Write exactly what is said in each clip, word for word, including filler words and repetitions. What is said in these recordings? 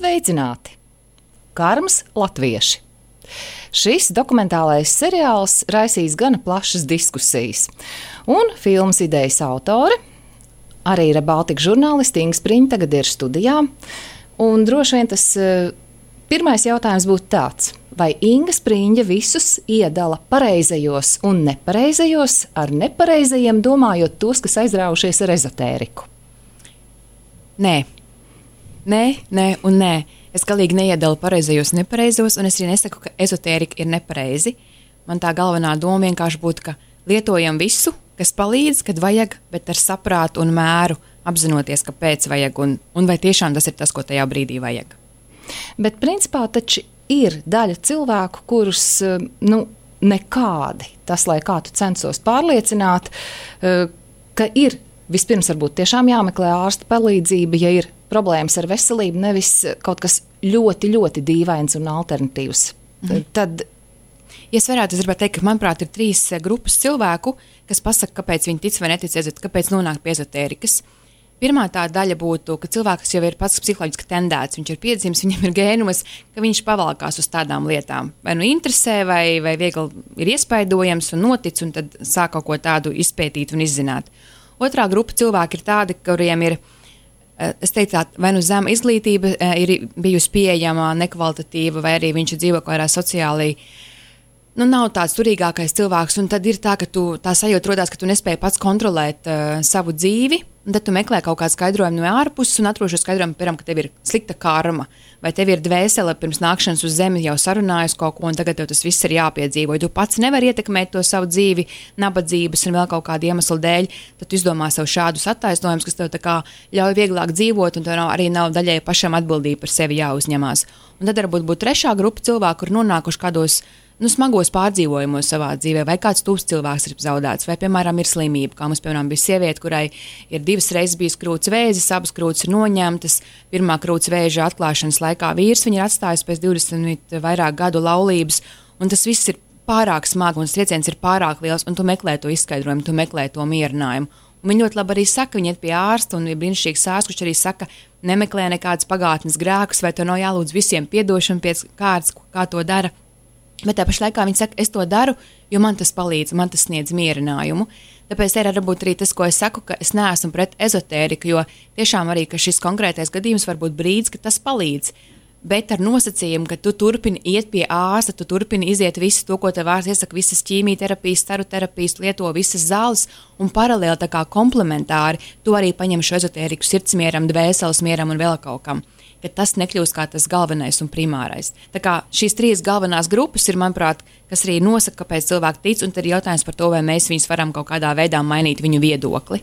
Sveicināti! Karmas latvieši. Šis dokumentālais seriāls raisīs gana plašas diskusijas, un filmas idejas autore, arī Rebaltika žurnāliste Inga Spriņa tagad ir studijā, un droši vien tas pirmais jautājums būtu tāds, vai Inga Spriņa visus iedala pareizajos un nepareizajos, ar nepareizajiem domājot tos, kas aizrāvušies ar ezotēriku? Nē, nē, nē un nē. Es galīgi neiedalu pareizajos un nepareizos, un es arī nesaku, ka ezotērika ir nepareizi. Man tā galvenā doma vienkārši būtu, ka lietojam visu, kas palīdz, kad vajag, bet ar saprātu un mēru apzinoties, kāpēc vajag, un, un vai tiešām tas ir tas, ko tajā brīdī vajag. Bet principā taču ir daļa cilvēku, kurus nu, nekādi, tas, lai kā tu censos pārliecināt, ka ir vispirms varbūt tiešām jāmeklē ārsta palīdzība, ja ir problēmas ar veselību, nevis kaut kas ļoti, ļoti dīvains un alternatīvs. Mhm. Tad, ja es varētu, es gribētu teikt, ka, manuprāt, ir trīs grupas cilvēku, kas pasaka, kāpēc viņi tic vai netic, kāpēc nonāk pie ezotērikas. Pirmā tā daļa būtu, ka cilvēks jau ir pats psiholoģiski tendēts, viņš ir piedzimis, viņam ir gēnumos, ka viņš pavalkās uz tādām lietām. Vai nu interesē, vai, vai viegli ir iespaidojams un notic, un tad sāk kaut ko tādu izpētīt un izzināt. Otrā grupa cilvēki ir tādi, kuriem ir, es teicu, vai nu zema izglītība ir bijusi pieejama, nekvalitatīva, vai arī viņš dzīvo kaut kādā sociāli, nu nav tāds turīgākais cilvēks, un tad ir tā, ka tu, tā sajūta rodās, ka tu nespēji pats kontrolēt uh, savu dzīvi, un tad tu meklē kaut kādu skaidrojumu no ārpuses un atrod šo skaidrojumu, piemēram, ka tev ir slikta karma, vai tev ir dvēsele pirms nākšanas uz zemi jau sarunājusi kaut ko, un tagad tev tas viss ir jāpiedzīvo. Ja tu pats nevari ietekmēt to savu dzīvi, nabadzības un vēl kaut kādu iemeslu dēļ, tad tu izdomā sev šādus attaisnojumus, kas tev tā kā ļauj vieglāk dzīvot, un tev arī nav daļai pašam atbildība par sevi jāuzņemās. Un tad varbūt būtu trešā grupa cilvēku, kur nonākuši kādos nu, smagos pārdzīvojumos savā dzīvē, vai kāds tūs cilvēks ir zaudēts, vai, piemēram, ir slimība, kā mums, piemēram, bija sieviete, kurai ir divas reizes bijis krūts vēzis, abas krūts ir noņemtas, pirmā krūts vēža atklāšanas laikā vīrs viņa ir atstājis pēc divdesmit vairāk gadu laulības, un tas viss ir pārāk smagi, un trieciens ir pārāk liels, un tu meklē to izskaidrojumu, tu meklē to mierinājumu. Un viņi ļoti labi arī saka, viņi iet pie ārsta, un ir brīnišķīgs ārsts, kurš arī saka, nemeklē nekādas pagātnes grēkus, vai to nav jālūdz visiem piedošanu pēc kārtas, kā to dara. Bet tā pašā laikā viņi saka, es to daru, jo man tas palīdz, man tas sniedz mierinājumu. Tāpēc ir varbūt arī tas, ko es saku, ka es neesmu pret ezotēriku, jo tiešām arī, ka šis konkrētais gadījums var būt brīdis, ka tas palīdz. Bet ar nosacījumu, ka tu turpini iet pie ārsta, tu turpini iziet visu to, ko tev ārsts iesaka, visas ķīmijterapijas, staru terapijas, lieto visas zāles, un paralēli tā kā komplementāri, tu arī paņem šo ezotēriku sirdsmieram, dvēseles mieram un vēl kaut kam. Ka tas nekļūst kā tas galvenais un primārais. Tā kā šīs trīs galvenās grupas ir, manuprāt, kas arī nosaka, kāpēc cilvēki tic, un tad ir jautājums par to, vai mēs viņus varam kaut kādā veidā mainīt viņu viedokli.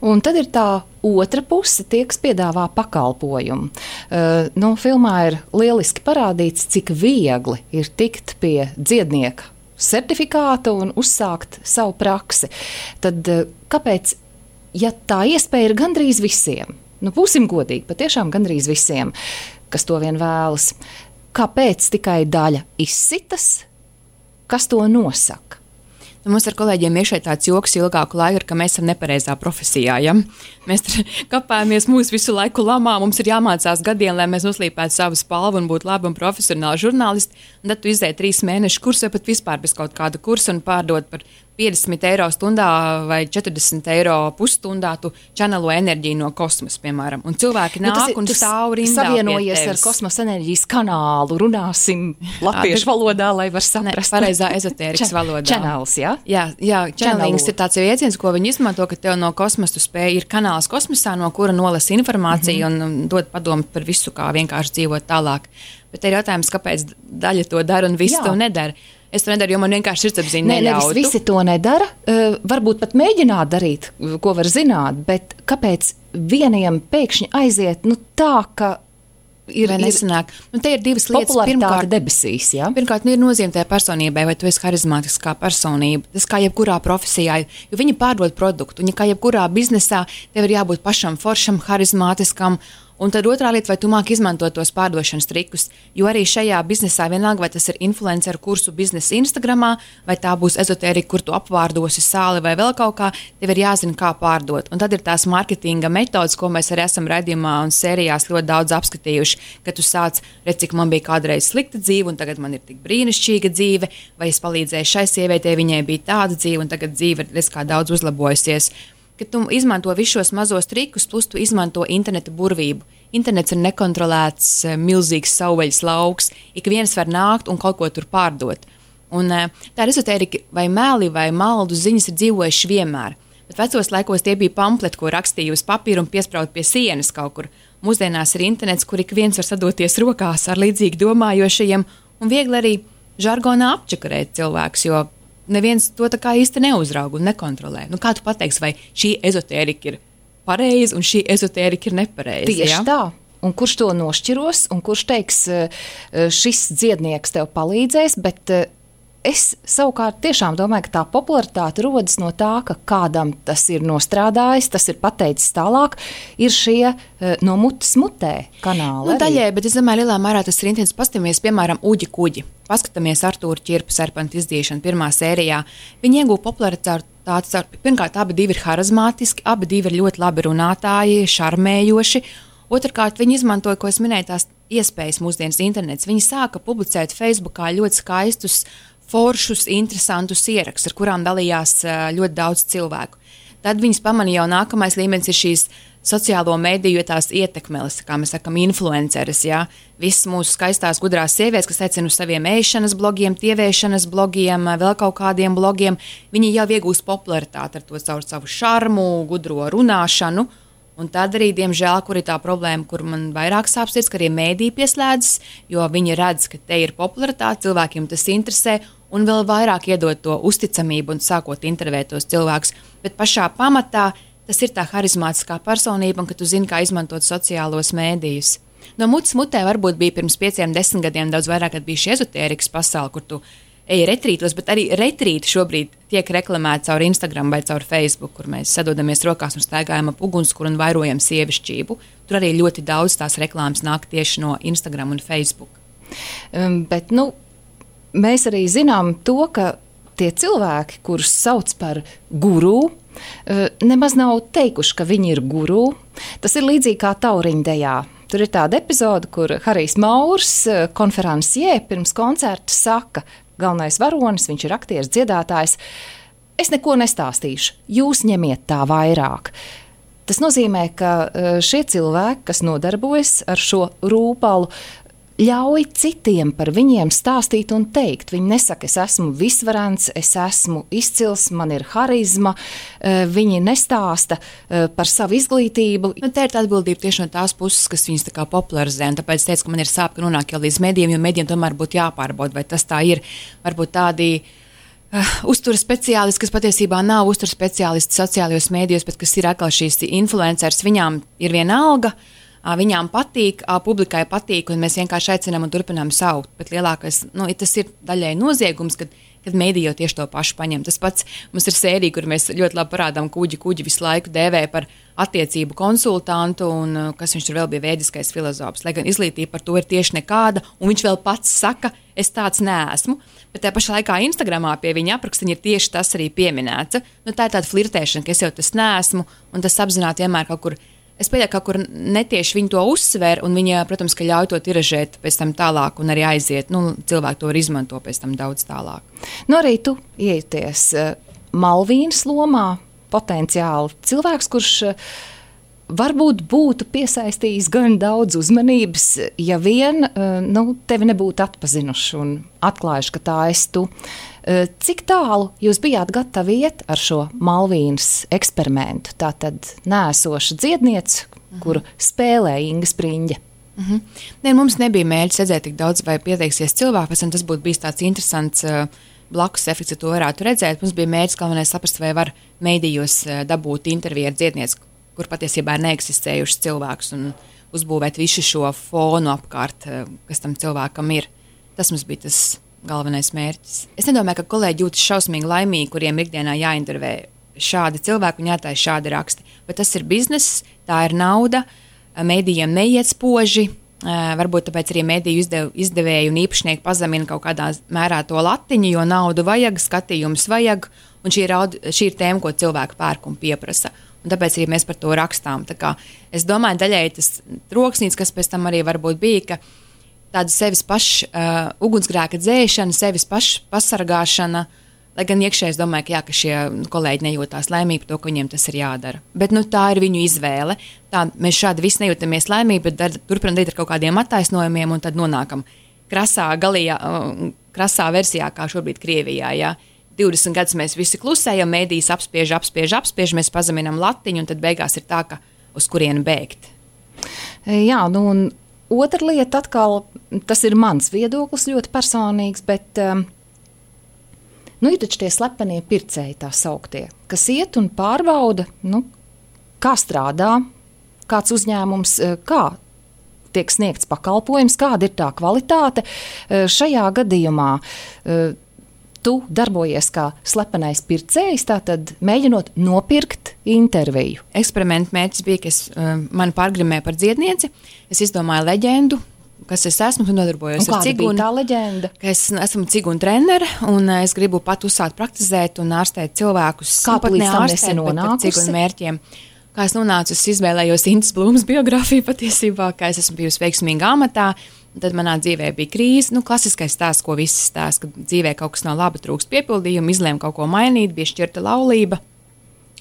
Un tad ir tā otra puse, tie, kas piedāvā pakalpojumu. Uh, nu, filmā ir lieliski parādīts, cik viegli ir tikt pie dziednieka certifikāta un uzsākt savu praksi. Tad uh, kāpēc, ja tā iespēja ir gandrīz visiem, nu, būsim godīgi, patiešām gandrīz visiem, kas to vien vēlas. Kāpēc tikai daļa izsitas? Kas to nosaka? Nu, mums ar kolēģiem ir šeit tāds joks ilgāku laiku, ka mēs esam nepareizā profesijā. Ja? Mēs kapājamies mūsu visu laiku lamā, mums ir jāmācās gadiem, lai mēs noslīpētu savu spalvu un būtu labi un profesionāli žurnālisti. Un tad tu izēji trīs mēnešu kursu vai pat vispār bez kaut kāda kursa un pārdot par piecdesmit eiro stundā vai četrdesmit eiro pusstundā, tu čanelo enerģiju no kosmosa, piemēram. Un cilvēki nāk nu, ir, un stāv rindā savienojies ar kosmosa enerģijas kanālu, runāsim latviešu valodā, lai var saprast. Ne, pareizā ezotērikas valodā. Čanels, jā? Jā, jā čanelings ir tāds jēdziens, ko viņi izmanto, ka tev no kosmosa tu spēj, ir kanāls kosmosā, no kura nolasa informāciju mm-hmm. un, un dod padomu par visu, kā vienkārši dzīvot tālāk. Bet ir jautājums, kāpēc daļa to dara un visi to nedara. Es to nedaru, jo man vienkārši sirdsapziņa ne, neļautu. Nevis visi to nedara, uh, varbūt pat mēģināt darīt, ko var zināt, bet kāpēc vieniem pēkšņi aiziet nu, tā, ka ir, vai nesanāk? Nu, te ir divas lietas. Popularitāte debesīs, jā? Pirmkārt, nu, ir nozīme tajā personībai, vai tu esi harizmātiskā personība. Tas kā jebkurā profesijā, jo viņi pārdod produktu, un ja kā jebkurā biznesā, tev ir jābūt pašam foršam, harizmātiskam, Un tad otrā lieta, vai tu māki izmantot tos pārdošanas trikus, jo arī šajā biznesā vienalga, vai tas ir influenceru kursu biznesa Instagramā, vai tā būs ezotērika, kur tu apvārdosi sāli vai vēl kaut kā, tev ir jāzina, kā pārdot. Un tad ir tās marketinga metodas, ko mēs arī esam raidījumā un sērijās ļoti daudz apskatījuši, ka tu sāc, redz, cik man bija kādreiz slikta dzīve, un tagad man ir tik brīnišķīga dzīve, vai es palīdzēju šai sievietei, viņai bija tāda dzīve, un tagad dzīve ir, redz, kā daudz uzlabojusies. Ka tu izmanto visus šos mazos trikus, plus tu izmanto interneta burvību. Internets ir nekontrolēts, milzīgs savvaļas lauks. Ik viens var nākt un kaut ko tur pārdot. Un tā ir ezotērika, vai meli, vai maldu ziņas ir dzīvojuši vienmēr. Bet vecos laikos tie bija pampleti, ko rakstīja uz papīra un piespraut pie sienas kaut kur. Mūsdienās ir internets, kur ik viens var sadoties rokās ar līdzīgi domājošajiem un viegli arī žargonā apčakarēt cilvēkus, jo neviens to tā kā īsti neuzrauga un nekontrolē. Nu, kā tu pateiksi, vai šī ezotērika ir pareiza un šī ezotērika ir nepareiza? Tieši ja? tā. Un kurš to nošķiros, un kurš teiks, šis dziednieks tev palīdzēs, bet es savukārt tiešām domāju, ka tā popularitāte rodas no tā, ka kādam tas ir nostrādājis, tas ir pateicis tālāk, ir šie no mutes mutē kanāli. Nu, daļai, bet es domāju, lielā mērā tas ir intensīvs. Paskatāmies, piemēram, Uģi Kuģi. Paskatāmies Artūra Čirpa serpenta izdīšanu pirmā sērijā. Viņi iegūta popularitāti. Pirmkārt, abi divi ir harizmātiski, abi divi ir ļoti labi runātāji, šarmējoši. Otrkārt, viņi izmantoja, ko es minēju, tās iespējas mūsdienas internets. Viņi sāka publicēt Facebookā ļoti skaistus, foršus, interesantus ierakstus, ar kurām dalījās ļoti daudz cilvēku. Tad viņas pamanīja, jau nākamais līmenis ir šīs sociālo mediju tās ietekmeles, kā mēs sakam, influenceres. Ja? Visas mūsu skaistās, gudrās sievietes, kas aicina uz saviem ēšanas blogiem, tieviešanas blogiem, vēl kaut kādiem blogiem, viņi jau iegūst popularitāti ar to caur savu šarmu, gudro runāšanu. Un tad arī, diemžēl, kur ir tā problēma, kur man vairāk sāp sirds, ka arī mēdī pieslēdzas, jo viņi redz, ka te ir popularitāte, cilvēkiem tas interesē, un vēl vairāk iedod to uzticamību un sākot intervēt tos cilvēkus. Bet pašā pamatā tas ir tā harizmātiskā personība, un ka tu zini, kā izmantot sociālos mēdījus. No mutes mutē varbūt bija pirms pieciem, desmit gadiem daudz vairāk, kad bija šī ezotērikas pasaule, kur tu eji retrītos, bet arī retrīti šobrīd tiek reklamēti caur Instagram vai caur Facebook, kur mēs sadodamies rokās un staigājam ap ugunskura un vairojam sievišķību. Tur arī ļoti daudz tās reklāmas nāk tieši no Instagram un Facebook. Um, bet, nu, mēs arī zinām to, ka tie cilvēki, kurus sauc par guru, nemaz nav teikuši, ka viņi ir guru. Tas ir līdzīgi kā tauriņdejā. Tur ir tāda epizode, kur Harijs Maurs, konferenciē, pirms koncerta saka, galvenais varonis, viņš ir aktieris, dziedātājs, es neko nestāstīšu, jūs ņemiet tā vairāk. Tas nozīmē, ka šie cilvēki, kas nodarbojas ar šo rūpalu, ļauj citiem par viņiem stāstīt un teikt. Viņi nesaka, es esmu visvarants, es esmu izcils, man ir harizma. Viņi nestāsta par savu izglītību. Nu, tā ir tā atbildība tieši no tās puses, kas viņus tā kā popularizē. Un tāpēc es teicu, ka man ir sāp, ka nonāk jau līdz medijiem, jo medijiem tomēr būtu jāpārbauda, vai tas tā ir. Varbūt tādi uh, uzturas speciālisti, kas patiesībā nav uzturas speciālisti sociālajos mēdījos, bet kas ir atkal šīs influenceris, viņām ir viena alga. Viņām patīk, publikai patīk, un mēs vienkārši aicinām un turpinām saukt. Bet lielākais, nu, tas ir daļai noziegums, kad, kad mēdī jau tieši to pašu paņem. Tas pats mums ir sērija, kur mēs ļoti labi parādām, ka Uģi Kuģi visu laiku dēvē par attiecību konsultantu, un kas viņš tur vēl bija vēdiskais filozofs. Lai gan izglītība par to ir tieši nekāda, un viņš vēl pats saka, es tāds neesmu. Bet tajā pašā laikā Instagramā pie viņa aprakstiņa ir tieši tas arī pieminēts. Nu, tā ir tāda flirtēšana, ka es jau tas neesmu, un tas apzināti vienmēr kaut kur. Es pieļauju, ka kaut kur netieši viņi to uzsver, un viņi, protams, ka ļauj to tiražēt pēc tam tālāk un arī aiziet. Nu, cilvēki to var izmanto pēc tam daudz tālāk. Nu, arī tu ieties uh, Malvīnas lomā, potenciāli cilvēks, kurš uh, varbūt būtu piesaistījis gan daudz uzmanības, ja vien uh, nu, tevi nebūtu atpazinuši un atklājuši, ka tā esi tu. Uh, cik tālu jūs bijāt gatavi iet ar šo Malvīnas eksperimentu? Tā tad nēsoša dziedniece, uh-huh. kuru spēlē Inga Spriņģe. Uh-huh. Ne, mums nebija mērķis redzēt tik daudz, vai pieteiksies cilvēki, pēc tam tas būtu bijis tāds interesants uh, blakus efekts, ja to varētu redzēt. Mums bija mērķis galvenais saprast, vai var mēdījos uh, dabūt interviju ar dziednieci, kur patiesībā ir neeksistējušas cilvēkus un uzbūvēt visu šo fonu apkārt, uh, kas tam cilvēkam ir. Tas mums bija tas galvenais mērķis. Es nedomāju, ka kolēģi jūtas šausmīgi laimīgi, kuriem ikdienā jāintervē šādi cilvēki un jātāja šādi raksti. Bet tas ir bizness, tā ir nauda. mēdījiem neiet spoži. Varbūt tāpēc arī mēdīju izdev, izdevēju un īpašnieki pazemina kaut kādā mērā to latiņu, jo naudu vajag, skatījums vajag, un šī ir, audi, šī ir tēma, ko cilvēki pērk un pieprasa. Un tāpēc arī mēs par to rakstām. Tā kā es domāju, daļēji tas troksnīts, kas pēc tam arī varbūt bija, ka tāda sevis paša uh, ugunsgrēka dzēšana, sevis paša pasargāšana, lai gan iekšēji es domāju, ka, jā, ka šie kolēģi nejūtās laimīgi par to, ka viņiem tas ir jādara. Bet nu, tā ir viņu izvēle. Tā, mēs šādi visi nejūtamies laimīgi, bet dar, turpinām darīt ar kaut kādiem attaisnojumiem un tad nonākam krasā, galījā, krasā versijā, kā šobrīd Krievijā. Jā. divdesmit gadus mēs visi klusējam, mēdīs apspiež, apspiež, apspiež, mēs pazeminam latiņu un tad beigās ir tā, ka uz kurienu bēgt. Jā, nu un otra lieta atkal, tas ir mans viedoklis ļoti personīgs, bet um, nu, ir taču tie slepenie pircēji tā sauktie, kas iet un pārbauda, nu, kā strādā, kāds uzņēmums, kā tiek sniegts pakalpojums, kāda ir tā kvalitāte. Šajā gadījumā tu darbojies kā slepenais pircējs, tātad mēģinot nopirkt interviju. Eksperimenta mērķis bija, ka es, mani pārgrimēja par dziednieci, es izdomāju leģendu, kas es esmu un nodarbojos un ar cigunu. Kāda bija tā leģenda? Es esmu cigunu trenere un es gribu pat uzsākt praktizēt un ārstēt cilvēkus. Kā tu līdz tam ārstēt, esi nonākusi? Cigunu mērķiem. Kā es nonācu, es izvēlējos Intas Blūmas biogrāfiju patiesībā, kā es esmu bijusi veiksmīga amatā. Tad manā dzīvē bija krīze, nu, klasiskais stāsts, ko visi stāsta, ka dzīvē kaut kas nav laba, trūkst piepildījumu, izlēmu kaut ko mainīt, bija šķirta laulība.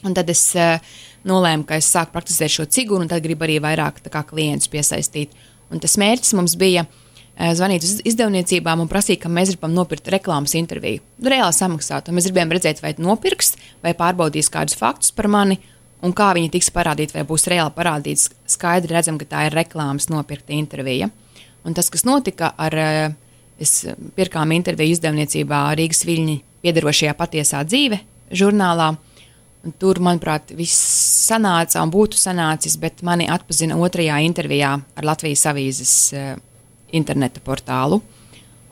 Un tad es uh, nolēmu, ka es sāku praktizēt šo cigunu, un tad gribu arī vairāk tā kā klientus piesaistīt. Un tas mērķis mums bija uh, zvanīt uz izdevniecībām un prasīt, ka mēs gribam nopirkt reklāmas interviju. Reāli samaksāt, un mēs gribējām redzēt, vai nopirks, vai pārbaudīs kādus faktus par mani, un kā viņi tiks parādīti, vai būs reāli parādīts. Skaidri redzam, ka tā ir reklāmas nopirkta intervija. Un tas, kas notika ar, es pirkām interviju izdevniecībā Rīgas Viļņi piederošajā patiesā dzīve žurnālā, un tur, manuprāt, viss sanāca un būtu sanācis, bet mani atpazina otrajā intervijā ar Latvijas avīzes uh, interneta portālu.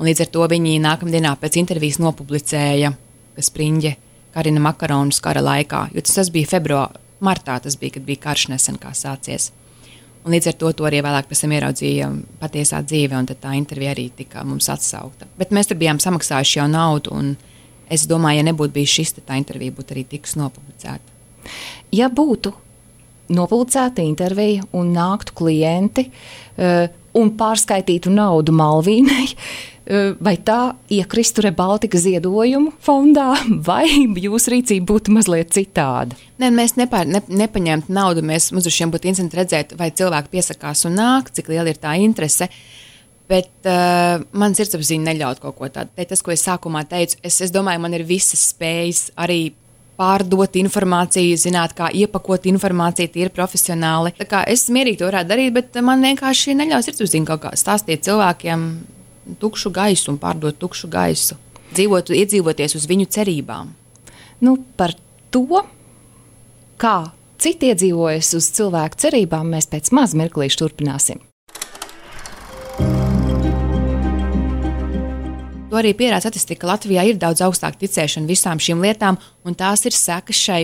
Un līdz ar to viņi nākamdienā pēc intervijas nopublicēja, ka Spriņģe karina makaronus kara laikā, jo tas, tas bija februārā, martā tas bija, kad bija karš nesen kā sācies. Un līdz ar to, to arī vēlāk pēc tam ieraudzīja patiesā dzīve, un tad tā intervija arī tika mums atsaukta. Bet mēs tur bijām samaksājuši jau naudu, un es domāju, ja nebūtu bijis šis, tad tā intervija būtu arī tikus nopublicēta. Ja būtu nopublicēta intervija un nāktu klienti uh, un pārskaitītu naudu Malvīnai, uh, vai tā iekristu Rebaltika ziedojumu fondā, vai jūsu rīcība būtu mazliet citāda? Nē, mēs nepār, ne, nepaņemtu naudu, mēs mums uz šiem būtu interesanti redzēt, vai cilvēki piesakās un nāk, cik liela ir tā interese, bet uh, man sirdsapziņa neļaut kaut ko tādu. Tas, ko es sākumā teicu, es, es domāju, man ir visas spējas arī pārdot informāciju, zināt, kā iepakot informāciju, tie ir profesionāli. Tā kā es mierīgi to varētu darīt, bet man vienkārši neļauj sirdsapziņa kaut kā stāstīt cilvēkiem tukšu gaisu un pārdot tukšu gaisu, dzīvot, iedzīvoties uz viņu cerībām. Nu, par to, kā citi iedzīvojas uz cilvēku cerībām, mēs pēc maz mirklīšu turpināsim. To arī pierāda statistika, ka Latvijā ir daudz augstāka ticēšana visām šīm lietām, un tās ir sekas šai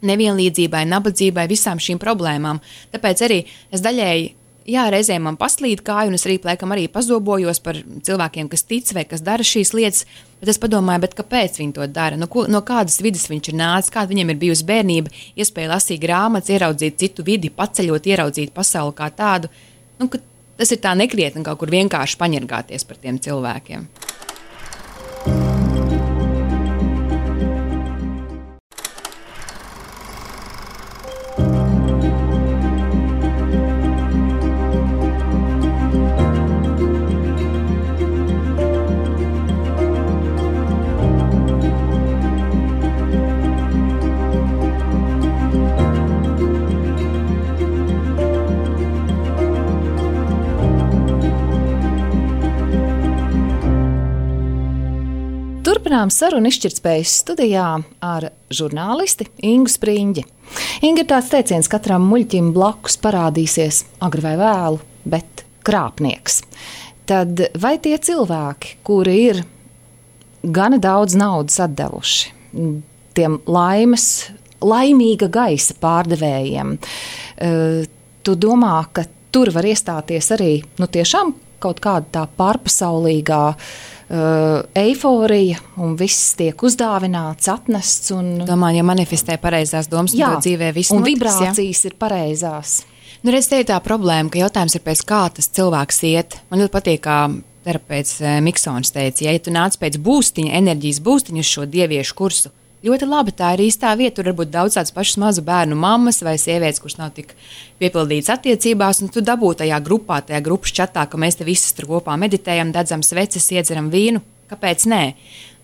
nevienlīdzībai, nabadzībai, visām šīm problēmām. Tāpēc arī es daļēji, jā, reizēm man paslīd kāju, un es arī, laikam, arī pazobojos par cilvēkiem, kas tic vai kas dara šīs lietas, bet es padomāju, bet kāpēc viņi to dara? No, ko, no kādas vidas viņš ir nācis, kāda viņam ir bijusi bērnība, iespēja lasīt grāmatas, ieraudzīt citu vidi, paceļot, ieraudzīt pasauli kā tādu. Nu, ka tas ir tā nekrietni kaut kur vienkārši paņirgāties par tiem cilvēkiem. Turpinām sarunu izšķirtspējas studijā ar žurnālisti Ingu Spriņģi. Inga, ir tāds teiciens, katram muļķim blakus parādīsies agri vai vēlu, bet krāpnieks. Tad vai tie cilvēki, kuri ir gana daudz naudas atdevuši tiem laimes, laimīga gaisa pārdevējiem, tu domā, ka tur var iestāties arī nu, tiešām kaut kāda tā pārpasaulīgā uh, eiforija un viss tiek uzdāvināts, atnests. Un, Domāju, ja manifestē pareizās domas, jā, tad dzīvē viss un notiks, vibrācijas ja? ir pareizās. Nu, redz, te ir tā problēma, ka jautājums ir pēc kā tas cilvēks iet. Man ļoti patīk, kā terapeits Miksons teica, ja, ja tu nāc pēc būstiņa, enerģijas būstiņa uz šo dieviešu kursu, ļoti labi, tā ir īstā vieta. Tur var būt daudz tādas pašas mazu bērnu mammas vai sievietes, kuras nav tik piepildītas attiecībās, un tu dabū tajā grupā, tajā grupas čatā, ka mēs te visas tur kopā meditējam, dedzam sveces, iedzeram vīnu. Kāpēc nē?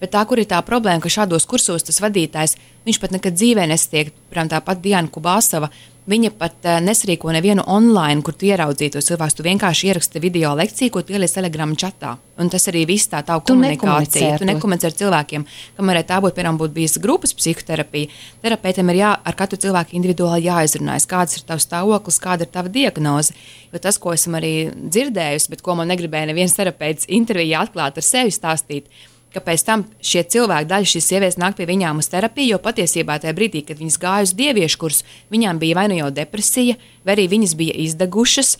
Bet tā, kur ir tā problēma, ka šādos kursos tas vadītājs, viņš pat nekad dzīvē nesatiek, piemēram, tāpat Diana Kubāsova, viņa pat uh, nesarīko nevienu online, kur tu ieraudzītu tos cilvēkus. Tu vienkārši ieraksti video lekciju, ko tu ieliec Telegram čatā. Un tas arī viss tā tavu komunikācija. Tu nekomunicē ar cilvēkiem. Kamēr tā būtu, piemēram, būtu bijis grupas psihoterapija, terapeitam ir jā, ar katru cilvēku individuāli jāizrunājas, kāds ir tavs stāvoklis, kāda ir tava diagnoze. Jo tas, ko esmu arī dzirdējusi, bet ko man negribēja neviens terapeits intervijā atklāt ar sevi stāstīt, ka pēc tam šie cilvēki, daļa šīs sievietes nāk pie viņām uz terapiju, jo patiesībā tajā brīdī, kad viņas gāja uz dieviešu kursu, viņām bija vai nu jau depresija, vai arī viņas bija izdegušas,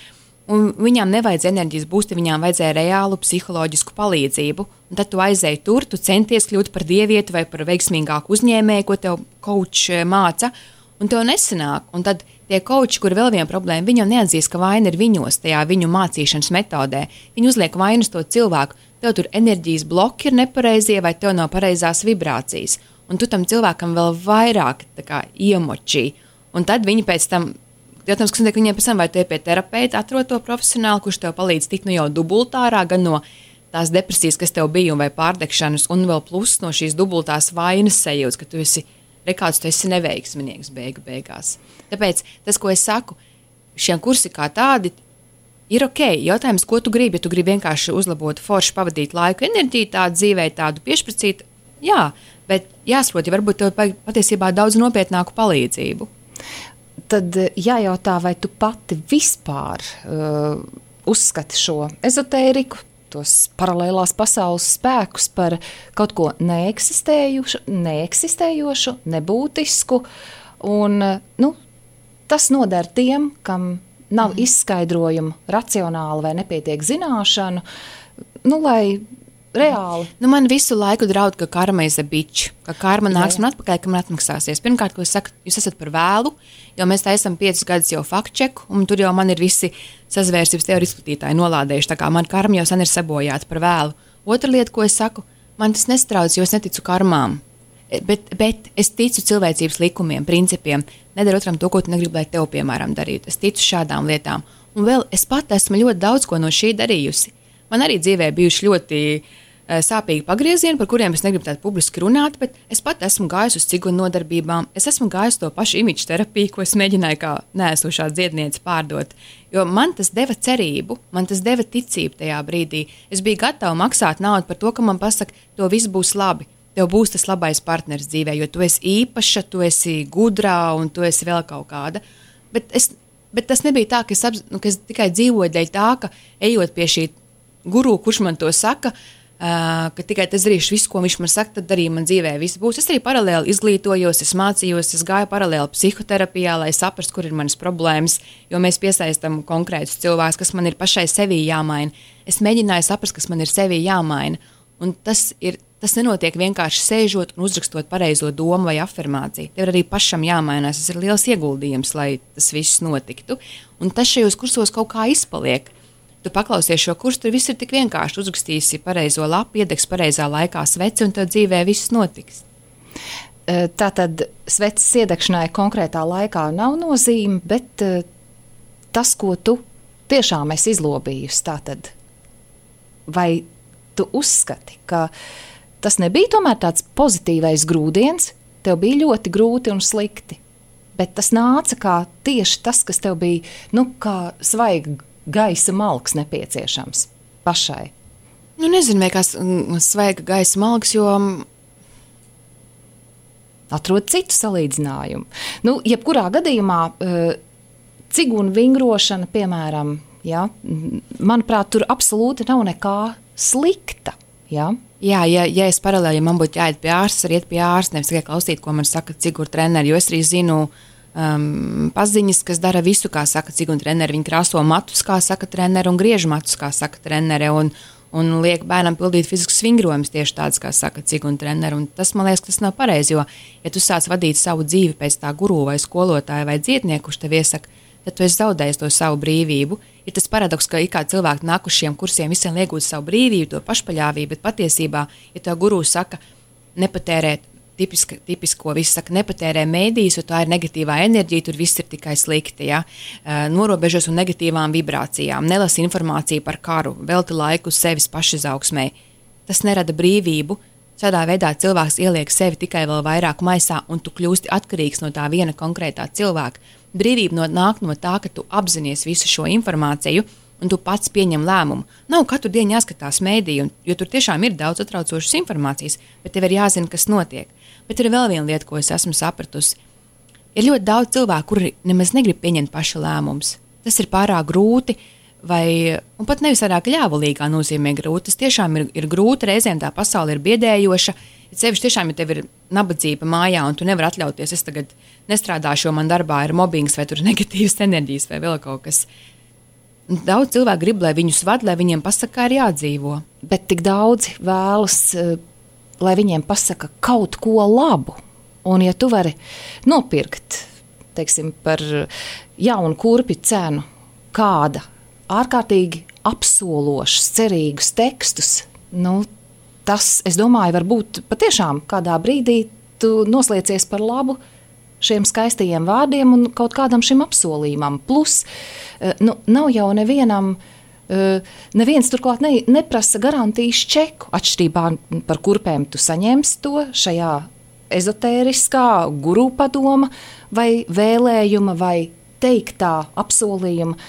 un viņām nevajadzēja enerģijas būsti, viņām vajadzēja reālu psiholoģisku palīdzību. Un tad tu aizēji tur, tu centies kļūt par dievieti vai par veiksmīgāku uzņēmēju, ko tev coach māca, un tev nesanāk. Un tad tie coachi, kur vēl viena problēma, viņi jau neatzīst, ka vaina ir viņos, tajā viņu mācīšanas metodē. Viņi uzliek vainu uz to cilvēku. Tev tur enerģijas bloki ir nepareizie vai tev nav pareizās vibrācijas. Un tu tam cilvēkam vēl vairāk kā, iemočī. Un tad viņi pēc tam, jautājums, kas notiek viņiem pēc tam, vai tu ej pie terapeita, atrod to profesionāli, kurš tev palīdz tikt nu jau dubultārā, gan no tās depresijas, kas tev bija, un vai pārdegšanas, un vēl plus no šīs dubultās vainas sajūtas, ka tu esi, rekāds, tu esi neveiksminieks beigu beigās. Tāpēc tas, ko es saku, šiem kursi kā tādi, ir ok. Jautājums, ko tu gribi, ja tu gribi vienkārši uzlabot, forši pavadīt laiku, enerģiju, tādu dzīvē, tādu piešpricīt, jā, bet jāsaprot, ja varbūt tev patiesībā daudz nopietnāku palīdzību. Tad jājautā, vai tu pati vispār uh, uzskati šo ezotēriku, tos paralēlās pasaules spēkus par kaut ko neeksistējušu, neeksistējošu, nebūtisku, un nu, tas noder tiem, kam nav mm. izskaidrojumu racionāli vai nepietiek zināšanu, nu, lai reāli. Nu, man visu laiku draud, ka karma ir bitch, ka karma nāks man atpakaļ, ka man atmaksāsies. Pirmkārt, ko es saku, jūs esat par vēlu, jo mēs tā esam piecus gadus jau fact-check, un tur jau man ir visi sazvērsības teoriju izplatītāji nolādējuši, tā kā man karma jau sen ir sabojāta par vēlu. Otra lieta, ko es saku, man tas nestrauc, jo es neticu karmām. Bet, bet es ticu cilvēcības likumiem, principiem. Nedara otram to, ko tu negribi, lai tev, piemēram, darītu. Es ticu šādām lietām. Un vēl es pat esmu ļoti daudz ko no šī darījusi. Man arī dzīvē bijuši ļoti uh, sāpīgi pagriezieni, par kuriem es negribu tādu publiski runāt, bet es pat esmu gājusi uz cigunu nodarbībām. Es esmu gājusi to pašu imidžu terapiju, ko es mēģināju kā neesošā dziedniece pārdot. Jo man tas deva cerību, man tas deva ticību tajā brīdī. Es biju gatava maksāt naudu par to, ka man pasaka, to viss būs labi. Tev būs tas labais partneris dzīvē, jo tu esi īpaša, tu esi gudrā un tu esi vēl kaut kāda. Bet, es, bet tas nebija tā, ka es, apz, nu, ka es tikai dzīvoju dēļ tā, ka ejot pie šī guru, kurš man to saka, uh, ka tikai tas darīšu visu, ko viņš man saka, tad arī man dzīvē viss būs. Es arī paralēli izglītojos, es mācījos, es gāju paralēli psihoterapijā, lai saprastu, kur ir manas problēmas, jo mēs piesaistam konkrētus cilvēkus, kas man ir pašai sevī jāmaina. Es mēģināju saprast, kas man ir sevī jāmaina. Un tas ir Tas nenotiek vienkārši sēžot un uzrakstot pareizo domu vai afirmāciju. Tev arī pašam jāmainās. Tas ir liels ieguldījums, lai tas viss notiktu. Un tas šajos kursos kaut kā izpaliek. Tu paklausies šo kursu, tur viss ir tik vienkārši. Uzrakstīsi pareizo lapu, iedegs pareizā laikā sveci un tev dzīvē viss notiks. Tātad sveces iedegšanai konkrētā laikā nav nozīme, bet tas, ko tu tiešām esi izlobījusi, tātad vai tu uzskati, ka tas nebija tomēr tāds pozitīvais grūdiens, tev bija ļoti grūti un slikti, bet tas nāca kā tieši tas, kas tev bija, nu, kā svaiga gaisa malks nepieciešams pašai. Nu, nezinu, vai kā svaiga gaisa malks, jo... Atrod citu salīdzinājumu. Nu, jebkurā gadījumā cigunu vingrošana, piemēram, ja, manuprāt, tur absolūti nav nekā slikta, ja? Jā, ja, ja es paralēli, ja man būtu jāiet pie ārsta, arī iet pie ārsta, nevis tikai klausīt, ko man saka ciguru treneri, jo es arī zinu um, paziņas, kas dara visu, kā saka cigunu treneri. Viņi krāso matus, kā saka treneri, un griež matus, kā saka treneri, un, un liek bērnam pildīt fiziskus vingrojumus tieši tāds, kā saka cigunu treneri. Un tas, man liekas, tas nav pareizi, jo, ja tu sāc vadīt savu dzīvi pēc tā guru vai skolotāja vai dziednieku, kurš tev iesaka, tad tu esi zaudējis to savu brīvību. Ir tas paradoks, ka kā cilvēki nāk uz šiem kursiem, visiem iegūt savu brīvību, to pašpaļāvību, bet patiesībā, ja tev guru saka, nepatērēt tipiska, tipisko, viss saka, nepatērē mēdījus, jo tā ir negatīvā enerģija, tur viss ir tikai slikti, ja? Norobežos un negatīvām vibrācijām, nelasi informāciju par karu, velti laiku sevis pašizaugsmē. Tas nerada brīvību. Šādā veidā cilvēks ieliek sevi tikai vēl vairāk maisā, un tu kļūsti atkarīgs no tā viena konkrētā cilvēka. Brīvība no, nāk no tā, ka tu apzinies visu šo informāciju, un tu pats pieņem lēmumu. Nav katru dienu jāskatās mēdī, jo tur tiešām ir daudz atraucošas informācijas, bet tev ir jāzina, kas notiek. Bet ir vēl viena lieta, ko es esmu sapratusi. Ir ļoti daudz cilvēku, kuri nemaz negrib pieņemt paša lēmumus. Tas ir pārāk grūti, vai, un pat nevis tādā ļāvulīgā nozīmē grūti. Tas tiešām ir, ir grūti, reizēm tā pasaule ir biedējoša. Sevišķi tiešām, ja tev ir nabadzība mājā, un tu nevari atļauties, es tagad nestrādāšu, jo man darbā ir mobbings, vai tur ir negatīvas enerģijas, vai vēl kaut kas. Daudz cilvēku grib, lai viņus vad, lai viņiem pasaka, kā ir jādzīvo. Bet tik daudzi vēlas, lai viņiem pasaka kaut ko labu. Un ja tu vari nopirkt, teiksim, par jaunu kurpju cenu kāda ārkārtīgi apsološs, cerīgus tekstus, nu, tas, es domāju, varbūt patiešām kādā brīdī tu nosliecies par labu šiem skaistajiem vārdiem un kaut kādam šim apsolījumam. Plus, nu, nav jau nevienam, neviens turklāt ne, neprasa garantijas čeku. Atšķirībā par kurpēm tu saņemsi to šajā ezotēriskā guru padoma vai vēlējuma vai teiktā apsolījuma.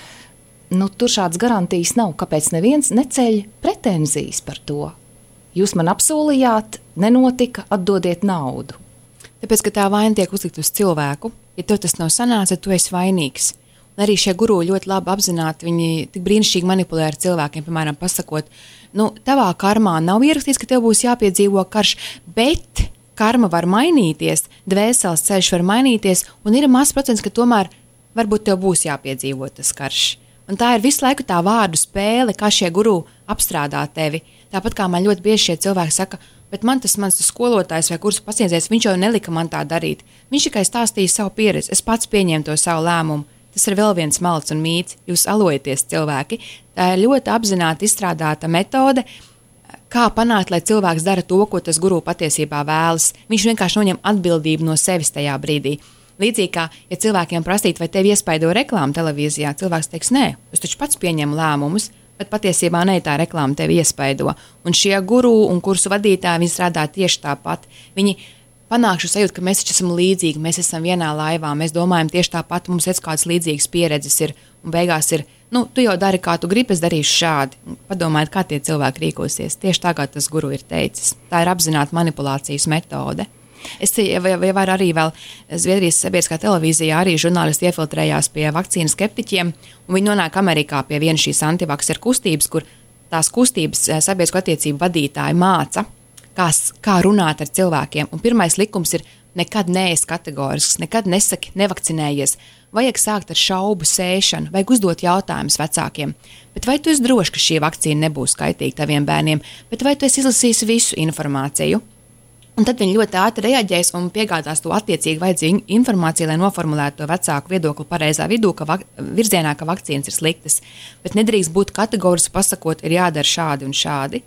Nu, tur šādas garantijas nav, kāpēc neviens neceļ pretenzijas par to. Jūs man apsolījāt, nenotika, atdodiet naudu. Tāpēc, ka tā vaina tiek uzlikt uz cilvēku, ja tev tas nav sanāca, tu esi vainīgs. Un arī šie guru ļoti labi apzināti, viņi tik brīnišķīgi manipulē ar cilvēkiem, piemēram, pasakot, nu, tavā karmā nav ierakstīts, ka tev būs jāpiedzīvo karš, bet karma var mainīties, dvēseles ceļš var mainīties, un ir mazs procents, ka tomēr varbūt tev būs jāpiedzīvo tas karš. Un tā ir visu laiku tā vārdu spēle, kā šie guru apstrādā tevi. Tāpat kā man ļoti bieži šie cilvēki saka, bet man tas mans tas skolotājs vai kursu pacienties, viņš jau nelika man tā darīt. Viņš tikai stāstīja savu pieredzi, es pats pieņēmu to savu lēmumu. Tas ir vēl viens malds un mīts, jūs alojaties cilvēki. Tā ir ļoti apzināti izstrādāta metode, kā panākt, lai cilvēks dara to, ko tas guru patiesībā vēlas. Viņš vienkārši noņem atbildību no sevis tajā brīdī. Līdzīgi kā, ja cilvēkiem prasīt, vai tevi iespaido reklāma televīzijā, cilvēks teiks, nē, es taču pats pieņemu lēmumus, bet patiesībā ne tā reklāma tevi iespaido. Un šie guru un kursu vadītāji, viņi strādā tieši tāpat. Viņi panāk šo sajūtu, ka mēs taču esam līdzīgi, mēs esam vienā laivā, mēs domājam tieši tāpat, mums ir kādas līdzīgas pieredzes ir, un beigās ir, nu, tu jau dari, kā tu gribi, es darīšu šādi. Padomājiet, kā tie cilvēki rīkosies. Tieši tā, kā tas guru ir teicis. Tā ir apzināta manipulācijas metode. Es vai var arī vēl Zviedrijas sabiedriskā televīzijā arī žurnālisti iefiltrējās pie vakcīnu skeptiķiem, un viņi nonāk Amerikā pie vienas šīs antivakseru kustības, kur tās kustības sabiedrisko attiecību vadītāji māca, kā, kā runāt ar cilvēkiem. Un pirmais likums ir nekad neesi kategorisks, nekad nesaki nevakcinējies. Vajag sākt ar šaubu sēšanu, vajag uzdot jautājumus vecākiem. Bet vai tu esi drošs, ka šī vakcīna nebūs kaitīga taviem bērniem, bet vai tu esi izlasījis visu informāciju? Un tad viņi ļoti ātri reaģēs un piegādās to attiecīgi vajadzīgu informāciju, lai noformulētu to vecāku viedokli pareizā vidū, ka vak- virzienā, ka vakcīnas ir sliktas. Bet nedrīkst būt kategoriski pasakot, ir jādara šādi un šādi.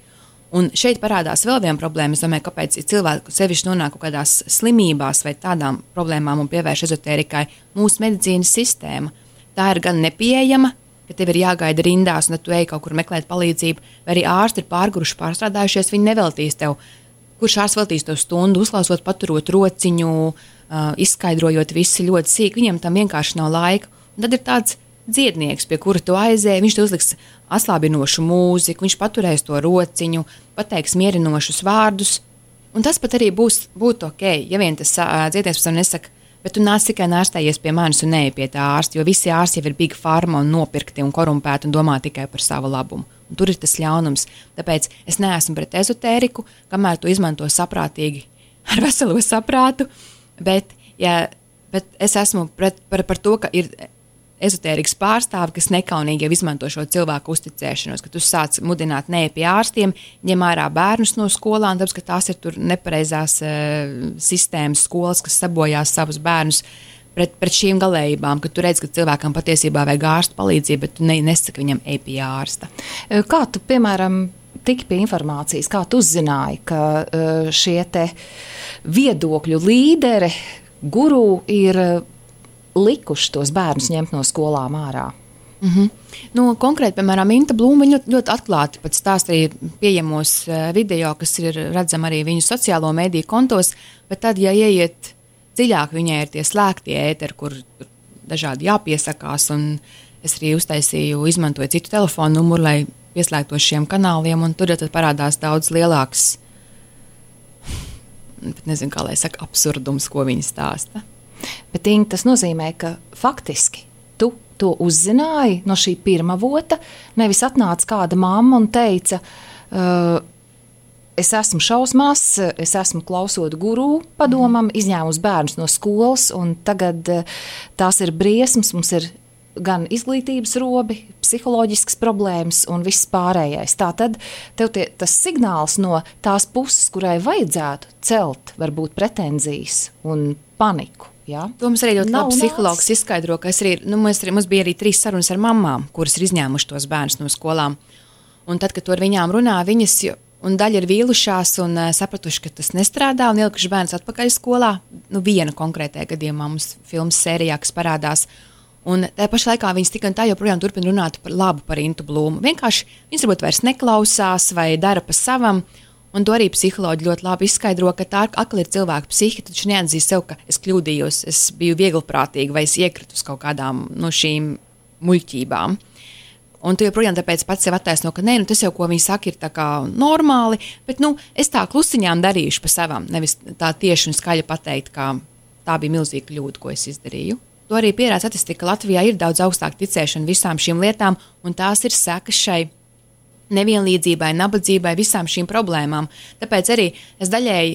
Un šeit parādās vēl viena problēma. Es domāju, kāpēc cilvēki sevišķi nonāk kaut kādās slimībās vai tādām problēmām un pievērš ezotērikai mūsu medicīnas sistēma. Tā ir gan nepieejama, ka tev ir jāgaida rindās un tad tu ej kaut kur meklēt palīdzību, vai arī ārsti ir pārguruši, pārstrādājušies, viņi neveltīs tev. Kurš ārsts veltīs to stundu, uzklausot, paturot rociņu, uh, izskaidrojot visu ļoti sīk, viņam tam vienkārši nav laika. Un tad ir tāds dziednieks, pie kura tu aizēji, viņš te uzliks atslābinošu mūziku, viņš paturēs to rociņu, pateiks mierinošus vārdus, un tas pat arī būs, būtu ok, ja vien tas uh, dziednieks pēc tam nesaka, bet tu nāc tikai nārstējies pie manis un neej pie tā ārsta, jo visi ārsti jau ir big pharma un nopirkti un korumpēti un domā tikai par savu labumu. Un tur ir tas ļaunums. Tāpēc es neesmu pret ezotēriku, kamēr to izmanto saprātīgi ar veselo saprātu, bet ja Bet es esmu pret, par, par to, ka ir ezotērikas pārstāvi, kas nekaunīgi jau izmanto šo cilvēku uzticēšanos, ka tu sāc mudināt neej pie ārstiem, ņem ārā bērnus no skolām, tāpēc, ka tās ir tur nepareizās uh, sistēmas skolas, kas sabojās savus bērnus pret, pret šīm galējībām, ka tu redz, ka cilvēkam patiesībā vajag ārstu palīdzību, bet tu ne, nesaki viņam ej pie ārsta. Kā tu, piemēram, tiki pie informācijas, kā tu uzzināji, ka uh, šie te viedokļu līderi, guru ir likuši tos bērnus ņemt no skolām ārā? Mm-hmm. Nu, konkrēti, piemēram, Inta Blūma ļoti, ļoti atklāti pat stāsta arī pieejamos video, kas ir redzami arī viņu sociālo mediju kontos, bet tad, ja ieiet dziļāk, viņai ir tie slēgtie ēteri, kur dažādi jāpiesakās, un es arī uztaisīju, izmantoju citu telefonu numuru, lai pieslēgtos šiem kanāliem, un tur tad parādās daudz lielāks, bet nezinu, kā lai saka, absurdums, ko viņi stāsta. Bet, Inga, tas nozīmē, ka faktiski tu to uzzināji no šī pirmā vota, nevis atnāca kāda mamma un teica, uh, es esmu šausmās, es esmu klausot guru padomam, izņēmus bērnus no skolas, un tagad uh, tās ir briesmas, mums ir gan izglītības robi, psiholoģiskas problēmas un viss pārējais. Tātad tev tie, tas signāls no tās puses, kurai vajadzētu celt varbūt pretenzijas un paniku. Ja? To mums arī ļoti labi psihologs izskaidro, ka es arī, nu, mēs, mums bija arī trīs sarunas ar mamām, kuras ir izņēmuši tos bērnus no skolām. Un tad, kad to ar viņām runā, viņas, un daļa ir vīlušās un uh, sapratuši, ka tas nestrādā, un ielikuši bērnus atpakaļ skolā. Nu, viena konkrētajā gadījumā mums filmas sērijā, kas parādās. Un tajā pašā laikā viņas tik un tā joprojām turpina runāt par labu par Intu Blūmu. Vienkārši viņas varbūt vairs neklausās vai dara pa savam. Un to arī psiholoģi ļoti labi izskaidro, ka tā atkal ir cilvēka psihi, taču neatzīst sev, ka es kļūdījos, es biju vieglprātīga vai es iekritu uz kaut kādām no šīm muļķībām. Un tu joprojām tāpēc pats sev attaisno, ka nē, nu tas jau, ko viņi saka, ir tā kā normāli, bet nu, es tā klusiņām darīšu pa savam, nevis tā tieši un skaļi pateikt, ka tā bija milzīga kļūda, ko es izdarīju. To arī pierāda statistika, ka Latvijā ir daudz augstāk ticēšana visām šīm lietām, un tās ir sekas šai nevienlīdzībai, nabadzībai, visām šīm problēmām. Tāpēc arī es daļēji,